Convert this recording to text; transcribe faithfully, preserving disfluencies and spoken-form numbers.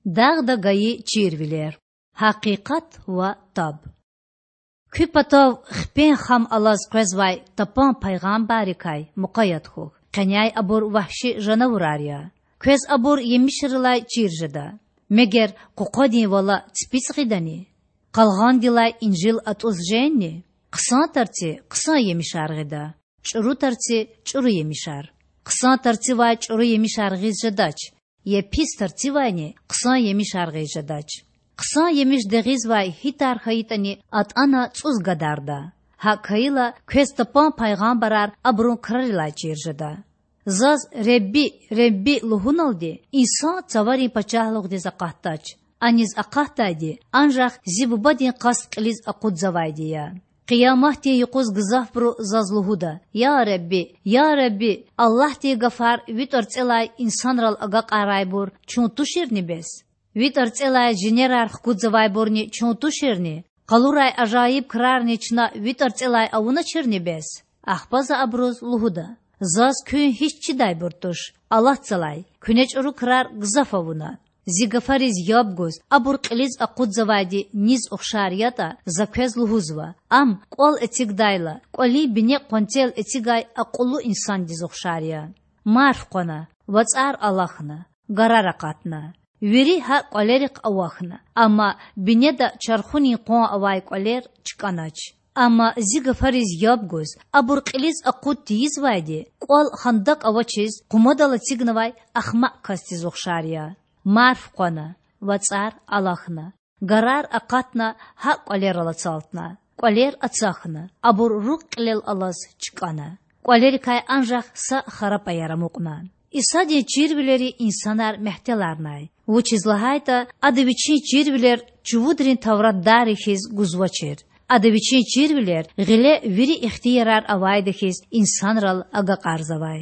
Дагъда гайи чирвилер. Гьакъикъат ва таб. Куь патав хпен хам алаз къвезвай тапан пайгъамбаррикай мукъаят хьухь, къеняй абур вагьши жанавурар я. Квез абур емишрилай чир жеда. Мегер къукъвадин вала ципицӀ гъидани? Къалгъандилай инжил атӀуз жени? Хъсан тарци хъсан емишар гъида, чӀуру тарци чӀуру емишар. Хъсан тарцивай чӀуру емишар гъиз жедач, я пис тарцивайни хъсан емишар гъиз жедач. Хъсан емиш дегъизвай гьи тар хьайитӀани, атӀана цӀуз гадарда. ГьакӀ хьайила, квез тапан пайгъамбарар абурун крарилай чир жеда. Заз Ребби, Ребби лугьуналди, инсан цаварин пачагьлугъдиз акъатдач. Аниз акъатдайди анжах зи Бубадин къаст кьилиз акъудзавайди я. Къияматдин юкъуз гзафбуру заз лугьуда: Я Ребби, я Ребби, Аллагьдин гафар ви тӀварцӀелай инсанрал агакьарайбур чун туширни бес? Ви тӀварцӀелай жинерар хкудзавайбурни чун туширни? Къалурай ажайиб крарни чна ви тӀварцӀелай авуначирни бес? Ахпа за абуруз лугьуда: Заз куьн гьич чидайбур туш, алатзалай, куьне чӀуру крар гзаф авуна. Зи гафариз яб гуз, абур кьилиз акъудзавайди низ ухшар ятӀа, за квез лугьузва: ам, кӀвал эцигдайла, кӀвалин бине къванцел эцигай акьуллу инсандиз ухшар я. Марф къвана, вацӀар алахьна, гарар акъатна. Вири гьа кӀвалерихъ авахьна, амма бинеда чархунин къван авай кӀвалер чкӀанач. Амма зи гафариз яб гуз, абур кьилиз акъуд тийизвайди, кӀвал хандакӀ авачиз къумадал эцигнавай ахмакь касдиз ухшар я. Марф къвана, вацӀар алахьна, гарар акъатна, гьа кӀвалерал ацалтна. КӀвалер ацахьна, абур руг кьилел алаз чкӀана. КӀвалерикай анжах са хара паяр амукьна. Исадин чирвилери инсанар мягьтеларнай, вучиз лагьайтӀа Ада Вичин чирвилер чувудрин тавратдарри хьиз гузвачир. Ада Вичин чирвилер гъиле вири ихтиярар авайда хьиз инсанрал агакьарзавай.